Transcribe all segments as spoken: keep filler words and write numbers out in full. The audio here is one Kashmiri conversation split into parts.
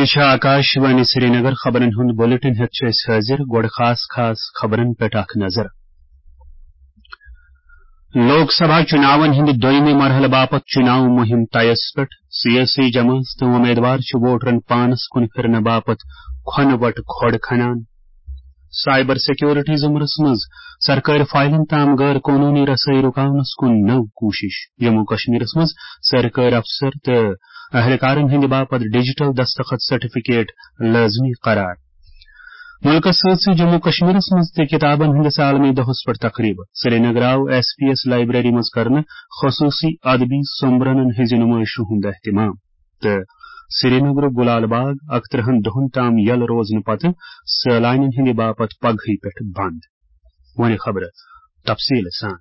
چھِ آکاش وانی سرینگر۔ خبرن ہُنٛد بلیٹن ہیٚتھ چھِ أسۍ حٲضِر۔ گۄڈٕ خاص خاص خبرن پٮ۪ٹھ اکھ نظر۔ لوک سبھا چُناون ہٕنٛدِ دوٚیمہِ مرحلہٕ باپتھ چُناو مُہِم تیس پٮ۪ٹھ۔ سیٲسی جمٲژ تہٕ وۄمیدوار چھِ ووٹرن پانس کُن پھِرنہٕ باپتھ کھۄنہٕ وٹہٕ کھۄڑ کھنان۔ سائبر سیکورٹی ضمرس منٛز سرکٲرۍ فائلن تام غٲر قونوٗنی رسٲیی رُکاونس کُن نٔو کوٗشش۔ جموں کشمیرس منٛز سرکٲرۍ افسر تہٕ اہلکارن ہٕنٛدِ باپتھ ڈیجیٹل دستخط سرٹیفکیٹ لٲزمی قرار۔ مُلکس سۭتۍ سۭتۍ جموں کشمیرس منٛز تہِ کتابن ہٕنٛدِس عالمی دۄہس پٮ۪ٹھ تقریٖب۔ سرینگر آو ایس پی ایس لائبریری منٛز کرنہٕ خصوٗصی ادبی سومبرنن ہٕنٛزِ نُمٲیشہِ ہُنٛد اہتمام۔ تہٕ سرینگرُک گُلال باغ اَکترٕہن دۄہن تام یلہٕ روزنہٕ پتہٕ سٲلانٮ۪ن ہٕنٛدِ باپتھ پگہٕے پٮ۪ٹھ بنٛد۔ وۄنۍ خبرٕ تفصیٖل سان۔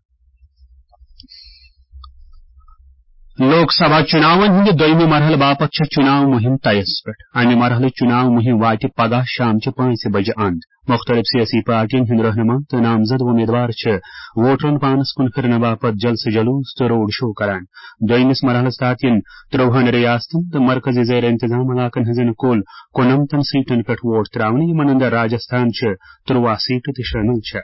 لوک سبھا چُناون ہٕنٛدِ دوٚیمہِ مرحلہٕ باپتھ چھےٚ چُناو مُہِم تیس پٮ۪ٹھ۔ امہِ مرحلہٕ چُناو مُہِم واتہِ پگاہ شامچہِ پانٛژِ بجہِ اند۔ مُختٔلِف سیٲسی پارٹین ہٕنٛدۍ رہنما تہٕ نامزد وۄمیدوار چھِ ووٹرن پانس کُن پھِرنہٕ باپتھ جلسہٕ جلوس تہٕ روڈ شو کران۔ دوٚیمِس مرحلس تحت یِن ترٛۆہن ریاستن تہٕ مرکزی زیر انتظام علاقن ہٕنٛزن کُل کُننمتن سیٹن پٮ۪ٹھ ووٹ تراونہٕ، یِمن اندر راجستھان چھِ ترٛۆوَہ سیٹہٕ تہِ شٲمِل چھےٚ۔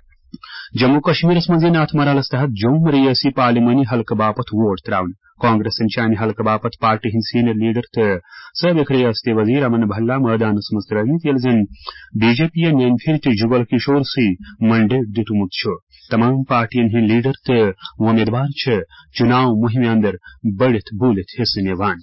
جموں کشمیرس منٛز یِن اتھ مرحلس تحت جوٚم ریٲسی پارلیمانی حلقہٕ باپتھ ووٹ تراونہٕ۔ کانگریسن چھِ امہِ حلقہٕ باپتھ پارٹی ہٕنٛدۍ سینئر لیڈر تہٕ سٲبق ریاستی وزیر امن بھلا مٲدانس منٛز ترٲومٕتۍ، ییٚلہِ زن بی جے پی یَن ییٚمہِ پھِرِ تہِ جگل کشور سی منڈیٹ دیُتمُت چھُ۔ تمام پارٹین ہٕنٛدۍ لیڈر تہٕ وۄمیدوار چھِ چُناو مُہِمہِ اندر بٔڑِتھ بوٗلِتھ حصہٕ نِوان۔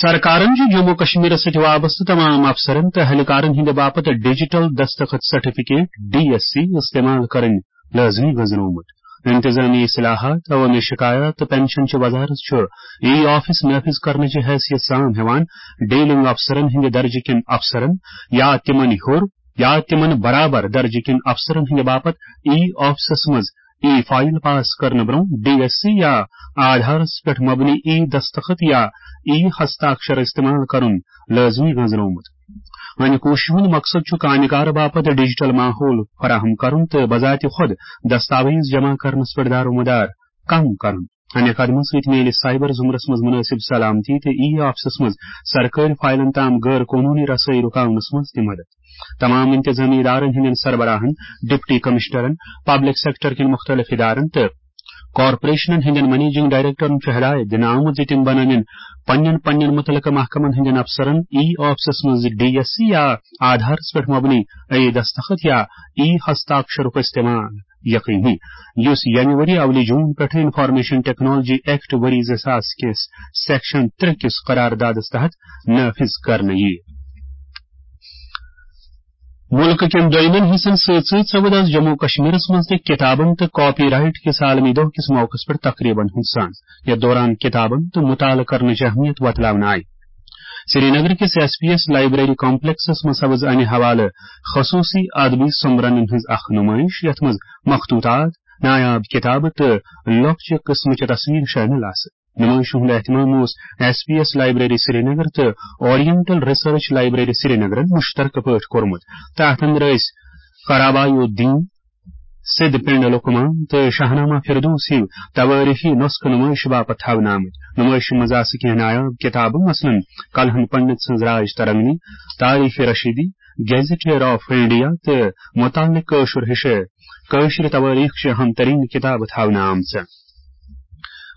سرکارن چھُ جموں کشمیرس سۭتۍ وابستہٕ تمام افسرن تہٕ اہلکارن ہٕنٛدِ باپتھ ڈیجیٹل دستخط سرٹیفکیٹ، ڈی ایس سی، استعمال کرٕنۍ لٲزمی گٔنٛزرٲومٕت۔ انتظامی اصلاحات، عوامی شکایات تہٕ پنشن چہِ وزارت چھُ ای آفس نافذ کرنٕچہِ حیثیت سام ہٮ۪وان ڈیلنگ افسرن ہٕنٛدِ درجہٕ کٮ۪ن افسرن یا تِمن ہیوٚر یا تِمن برابر درجہٕ کٮ۪ن افسرن ہٕنٛدِ باپتھ ای آفسس منٛز ای فائل پاس کرنہٕ برٛونٛہہ ڈی ایس سی یا آدھارس پٮ۪ٹھ مبنی ای دستخط یا ای ہستاکشر استعمال کرُن لٲزمی گٔنٛزرٲومُت۔ وۄنۍ کوٗششہِ ہُنٛد مقصد چھُ کامہِ کار باپتھ ڈیجیٹل ماحول فراہم کرُن تہٕ بذات خۄد دستاویز جمع کرنس پٮ۪ٹھ دارومدار کم کرُن۔ امہِ قدمہٕ سۭتۍ میلہِ سائبر زمرس منٛز مناسب سلامتی تہٕ ای آفسس منٛز سرکٲرۍ فائلن تام غٲر قونوٗنی رسٲیی رُکاونس منٛز تہِ مدد۔ تمام انتظامی ادارن ہٕنٛدٮ۪ن سربراہن، ڈپٹی کمشنرن، پبلک سیکٹر کٮ۪ن مُختٔلِف ادارن تہٕ کارپوریشنن ہٕنٛدٮ۪ن منیجنگ ڈائریکٹرن چھُ ہدایت دِنہٕ آمُت زِ تِم بنٲوِن پننٮ۪ن پننٮ۪ن مُتعلقہٕ محکمن ہٕنٛدٮ۪ن افسرن ای آفسس منٛز ڈی ایس سی یا آدھارس پٮ۪ٹھ مبنی ای دستخط یا ای ہستاکشرُک استعمال یقینی، یُس ییٚمہِ ؤری اولہِ جون پٮ۪ٹھٕ انفارمیشن ٹیکنالوجی ایکٹ ؤری زٕ ساس کِس سیکشن ترٛےٚ کِس قراردادس تحت نافذ کرنہٕ یِیہِ۔ مُلکہٕ کٮ۪ن دۄیمٮ۪ن حصن سۭتۍ سۭتۍ سپُد از جموں کشمیرس منٛز تہِ کتابن تہٕ کاپی رائٹ کِس عالمی دۄہ کِس موقعس پٮ۪ٹھ تقریبن ہُنٛد سان۔ یتھ دوران کتابن تہٕ مطالعہٕ کرنٕچ اہمیت وۄتلاونہٕ آیہِ۔ سرینگر کِس S P S library complexes منٛز سپُد امہِ حوالہٕ خصوصی ادبی سومبرنن ہٕنٛز اکھ نمائش، یتھ منٛز مخطوطات، نایاب کتابہٕ تہٕ لۄکچہِ قٕسمٕچہِ تصویرٕ شٲمِل آسہٕ۔ نمائشہِ ہُنٛد اہتمام اوس S P S library Srinagar تہٕ اورینٹل ریسرچ لائبریری سرینگرن مشترکہٕ پٲٹھۍ کوٚرمُت۔ تہٕ اتھ اندر ٲسۍ قرابای الدین، سِد پنڈ لقمان تہٕ شاہنامہ فردوس ہیو توٲریخی نسخہٕ نمائشہِ باپتھ تھاونہٕ آمٕتۍ۔ نمائشہِ منٛز آسہٕ کینٛہہ نایاب کتابہٕ، مثلاً کلہن پنڈت سٕنٛز راج ترنگنی، تاریخ رشیدی، گیزیٹیئر آف انڈیا تہٕ متعلق کٲشُر ہِشہٕ کٲشرِ توٲریخ چہِ اہم ترین کتابہٕ تھاونہٕ آمژٕ۔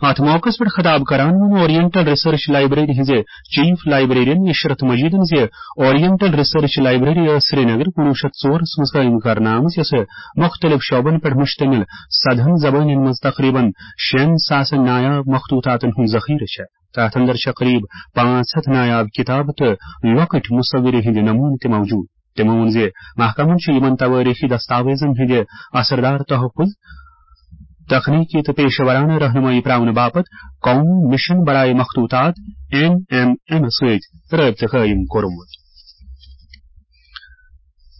اتھ موقعس پٮ۪ٹھ خطاب کران ووٚن اورینٹل ریسرچ لائبریری ہٕنٛزِ چیف لائبریرین عشرت مجیدن زِ اورینٹل ریسرچ لائبریری ٲس سرینگر کُنوُہ شیٚتھ ژورس منٛز قٲیِم کرنہٕ آمٕژ، یۄسہٕ مُختٔلِف شعبن پٮ۪ٹھ مشتمل سدہن زبانن منٛز تقریباً شیٚن ساسن نایاب مخطوطاتن ہُنٛد ذخیرٕ چھےٚ۔ تتھ اندر چھےٚ قریب پانٛژھ ہتھ نایاب کتابہٕ تہٕ لۄکٕٹۍ مصورِ ہٕنٛدۍ نمونہٕ تہِ موجود۔ تِمو ووٚن زِ محکمن چھُ یِمن توٲریخی دستاویزن ہٕنٛدِ اثردار تحفظ، تخلیقی تہٕ پیشہ ورانہٕ رہنمائی پراونہٕ باپتھ قومی مشن برائے مخطوطات، این ایم ایم، سۭتۍ رٲبطہٕ قٲیِم کوٚرمُت۔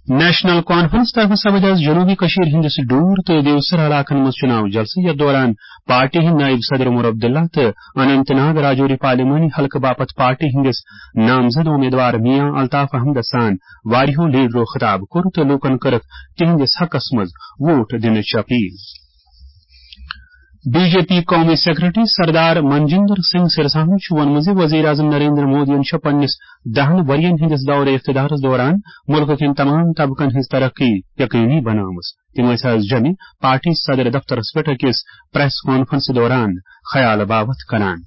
نیشنل کانفرنس طرفہٕ سپُد از جنوبی کشمیر ہٕنٛدِس ڈور تہٕ دیوسر علاقن منٛز چُناو جلسہٕ، یتھ دوران پارٹی ہٕنٛدۍ نائب صدر عمر عبداللہ تہٕ اننت ناگ راجوری پارلیمانی حلقہٕ باپتھ پارٹی ہٕنٛدِس نامزد امیدوار میاں الطاف احمدس سان واریاہو لیڈرو خطاب کوٚر تہٕ لوٗکن کٔرٕکھ تِہنٛدِس حقس منٛز ووٹ دِنٕچ اپیل۔ بی جے پی قومی سیکرٹری سردار منجندر سنگھ سرساہن چھُ ووٚنمُت زِ وزیر اعظم نریندر مودیَن چھےٚ پننِس دَہَن ؤرۍ یَن ہٕنٛدِس دورِ اقتدارس دوران مُلکہٕ کٮ۪ن تمام طبقن ہٕنٛز ترقی یقینی بنٲومٕژ۔ تِم ٲسۍ از جمہِ پارٹی صدر دفترس پٮ۪ٹھ أکِس پریس کانفرنسہِ دوران خیال باوتھ کران۔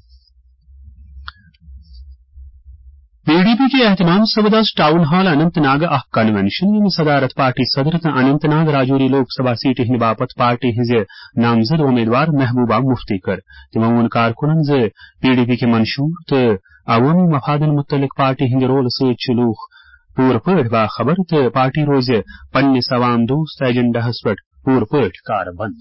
پی ڈی پی کہِ اہتمام سپُد از ٹاؤن ہال اننت ناگ اکھ کنونشن، ییٚمہِ صدارت پارٹی صدر تہٕ اننت ناگ راجوری لوک سبھا سیٹہِ ہٕنٛدِ باپتھ پارٹی ہٕنٛزِ نامزد امیدوار محبوبہ مفتی کٔر۔ تِمو ووٚن کارکُنن زِ پی ڈی پی کہِ منشور تہٕ عوٲمی مفادن مُتعلق پارٹی ہٕنٛدِ رولہٕ سۭتۍ چھِ لوٗکھ پوٗرٕ پٲٹھۍ باخبر تہٕ پارٹی روزِ پننِس عوام دوست ایجنڈاہس پٮ۪ٹھ پوٗرٕ پٲٹھۍ کاربند۔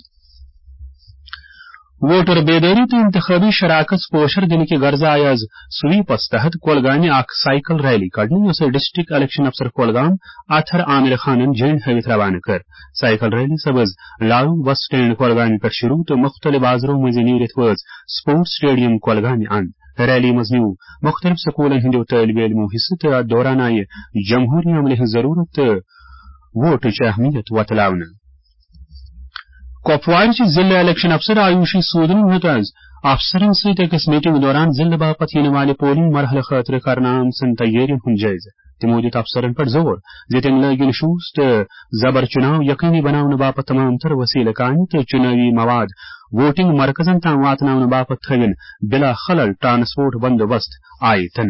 ووٹر بیدٲری تہٕ انتخابی شراکژ پوشر دِنہٕ کہِ غرضہٕ آیہِ از سویپس تحت کولگامہِ اکھ سائیکل ریلی کڑنہٕ، یۄسہٕ ڈسٹرکٹ الیکشن افسر کولگام اطہر عامر خانن جھنڈ ہٲوِتھ روانہٕ کٔر۔ سائیکل ریلی سپٕز لارو بس سٹینڈ کولگامہِ پٮ۪ٹھ شروع تہٕ مُختٔلِف بازرو مٔنٛزِ نیٖرِتھ وٲژ سپورٹس سٹیڈیم کولگامہِ اند۔ ریلی منٛز نیوٗ مُختٔلِف سکوٗلن ہٕنٛدیو طٲلبہِ علمو حصہٕ تہٕ دوران آیہِ جمہوٗری عملہِ ہٕنٛز ضروٗرت تہٕ ووٹٕچ اہمیت وۄتلاونہٕ۔ کۄپوارٕچ ضلع الیکشن افسر آیوشی سودن ہیوٚت از افسرن سۭتۍ أکِس میٹنگ دوران ضلعہٕ باپتھ یِنہٕ والہِ پولنگ مرحلہٕ خٲطرٕ کرنہٕ آمژن تیٲرین ہُنٛد جٲیزٕ۔ تِمو دیُت افسرن پٮ۪ٹھ زور زِ تِم لٲگِن شوٗژ تہٕ زبر چُناو یقینی بناونہٕ باپتھ تمام تر وسیلہٕ کامہِ تہٕ چُنٲوی مواد ووٹنگ مرکزن تام واتناونہٕ باپتھ تھٲوِن بلا خلل ٹرانسپورٹ بندوبست آیتن۔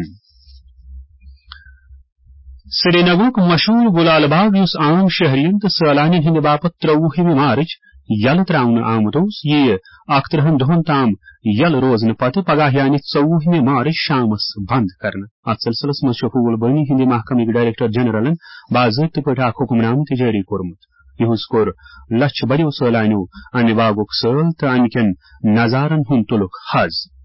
سرینگرُک مشہوٗر گُلال باغ، یُس عام شہرین تہٕ سٲلانین ہٕنٛدِ باپتھ ترٛۆوُہمہِ مارچ یلہٕ ترٛاونہٕ آمُت اوس، یِیہِ اکترٕہن دۄہن تام یلہٕ روزنہٕ پتہٕ پگاہ یعنی ژوٚوُہمہِ مارچ شامس بند کرنہٕ۔ اتھ سلسلس منٛز چھُ پھول بٲنی ہٕنٛدِ محکمٕکۍ ڈائریکٹر جنرلن باضٲبطہٕ پٲٹھۍ اکھ حکم نامہٕ تہِ جٲری کوٚرمُت۔ یِہُنٛد کوٚر لچھِ بٔدیو سٲلانیو امہِ باغُک سٲل تہٕ امہِ کٮ۪ن نظارن ہُنٛد تُلُکھ حظ۔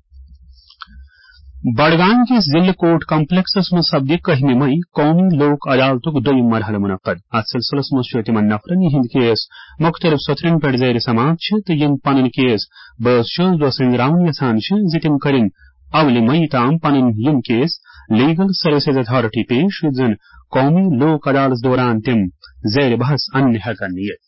بڈگام کِس ضلع کورٹ کمپلیکسس منٛز سپدِ کٔہمہِ مئی قومی لوک عدالتُک دوٚیِم مرحلہٕ منعقد۔ اتھ سلسلس منٛز چھُ تِمن نفرن، یِہنٛدۍ کیس مُختٔلِف سطرن پٮ۪ٹھ زیر سماعت چھِ تہٕ یِم پنٕنۍ کیس بٲژ چھِ دۄہ سٕنٛدۍ راوُن یژھان چھِ زِ تِم کٔرِن اولہِ مئی تام پنٕنۍ یِم کیس لیگل سروسز اتھارٹی پیش، یُتھ زن قومی لوک عدالت دوران تِم زیر بحث اننہٕ ہٮ۪کن یِتھ۔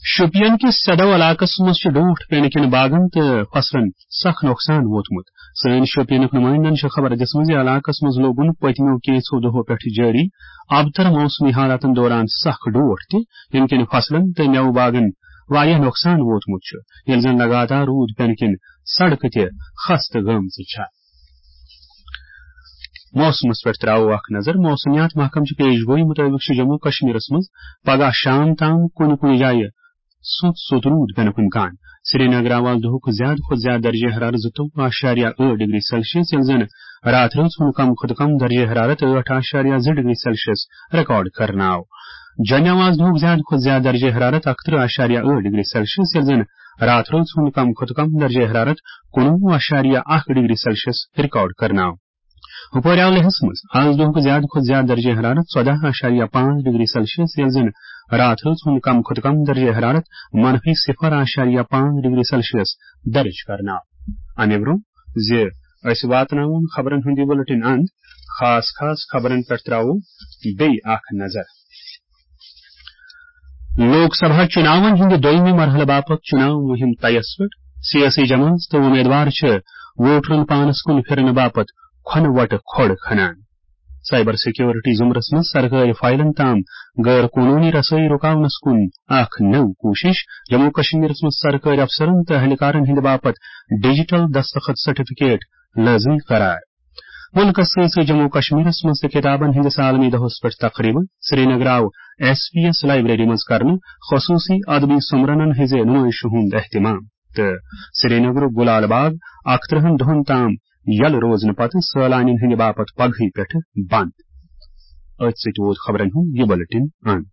شوپین کِس سیدو علاقس منٛز چھُ ڈوٹھ پینہٕ کِنۍ باغن تہٕ فصلن سخ نۄقصان ووتمُت۔ سٲنۍ شوپینُک نُمٲیندن چھِ خبر دِژمٕژ زِ علاقس منٛز لوگُن پٔتمیو کینٛژھو دۄہو پٮ۪ٹھ جٲری ابتر موسمی حالاتن دوران سخ ڈوٹھ تہِ، ییٚمہِ کِنۍ فصلن تہٕ مٮ۪وٕ باغن واریاہ نۄقصان ووتمُت چھُ، ییٚلہِ زن لگاتار روٗد پینہٕ کِنۍ سڑکہٕ تہِ خستہٕ گٔمژٕ چھےٚ۔ موسمس پٮ۪ٹھ تراوو اکھ نظر۔ موسمیات محکمہٕ چہِ پیش گویی مُطٲبِق چھُ جموں کشمیرس منٛز پگاہ شام تام کُنہِ کُنہِ جایہِ سوٚت سوٚت روٗد پینُک امکان۔ سرینگر آو از دۄہُک زیادٕ کھۄتہٕ زیادٕ درجہ حرارت زٕتووُہ اعشاریہ ٲٹھ ڈگری سیلسیس، ییٚلہِ زن راتھ رٲژ ہُنٛد کم کھۄتہٕ کم درجہ حرارت ٲٹھ اعشاریہ زٕ ڈگری سیلسیس ریکارڈ کرنہٕ آو۔ جوٚمہِ آو از دۄہُک زیادٕ کھۄتہٕ زیادٕ درجہ حرارت اکترٕہ اعشاریہ ٲٹھ ڈگری سیلسیس، ییٚلہِ زن راتھ رٲژ ہُنٛد کم کھۄتہٕ کم درجہ حرارت کُنوُہ اعشاریہ اکھ ڈگری سیلسیس ریکارڈ کرنہٕ آو۔ ہُپٲرۍ آو لیہس منٛز از دۄہُک زیادٕ کھۄتہٕ زیادٕ درجہ حرارت ژۄدہ اعشاریہ پانٛژھ ڈگری سیلسیس، ییٚلہِ زن راتھ ہٕنٛز ہُنٛد کم کھۄتہٕ کم درجہ حرارت منفی صفر اعشاریہ پانٛژھ ڈگری سیلسیس درج کرنہٕ آو۔ امہِ برٛونٛہہ زِ أسۍ واتناوون خبرن ہُنٛد یہِ بُلٹن اند، خاص خاص خبرن پٮ۪ٹھ تراوو بیٚیہِ اکھ نظر۔ لوک سبھا چُناون ہٕنٛدِ دوٚیمہِ مرحلہٕ باپتھ چُناو مُہِم طیس پٮ۪ٹھ۔ سیٲسی جماعژ تہٕ امیدوار چھِ ووٹرن پانس کُن پھِرنہٕ باپتھ کھۄنہٕ وۄٹہٕ کھۄڑ کھنان۔ سائبر سیکیورٹی زمرس منٛز سرکٲرۍ فائلن تام غٲر قونوٗنی رسٲیی رُکاونس کُن اکھ نٔو کوٗشش۔ جموں کشمیرس منٛز سرکٲرۍ افسرن تہٕ اہلکارن ہٕنٛدِ باپتھ ڈیجیٹل دستخط سرٹیفکیٹ لٲزمی قرار۔ مُلکس سۭتۍ سۭتۍ جموں کشمیرس منٛز تہِ کتابن ہٕنٛدِس عالمی دۄہس پٮ۪ٹھ تقریبہٕ۔ سرینگر آو ایس پی ایس لائبریری منٛز کرنہٕ خصوصی ادبی سومبرنن ہٕنٛزِ نُمٲیشہِ ہُنٛد اہتمام۔ تہٕ سرینگرُک گُلال باغ اکترٕہن دۄہن تام یلہٕ روزنہٕ پتہٕ سٲلانین ہٕنٛدِ باپتھ پگہٕے پٮ۪ٹھٕ بند۔ أتھۍ سۭتۍ ووت خبرن ہُنٛد یہِ بُلٹن اند۔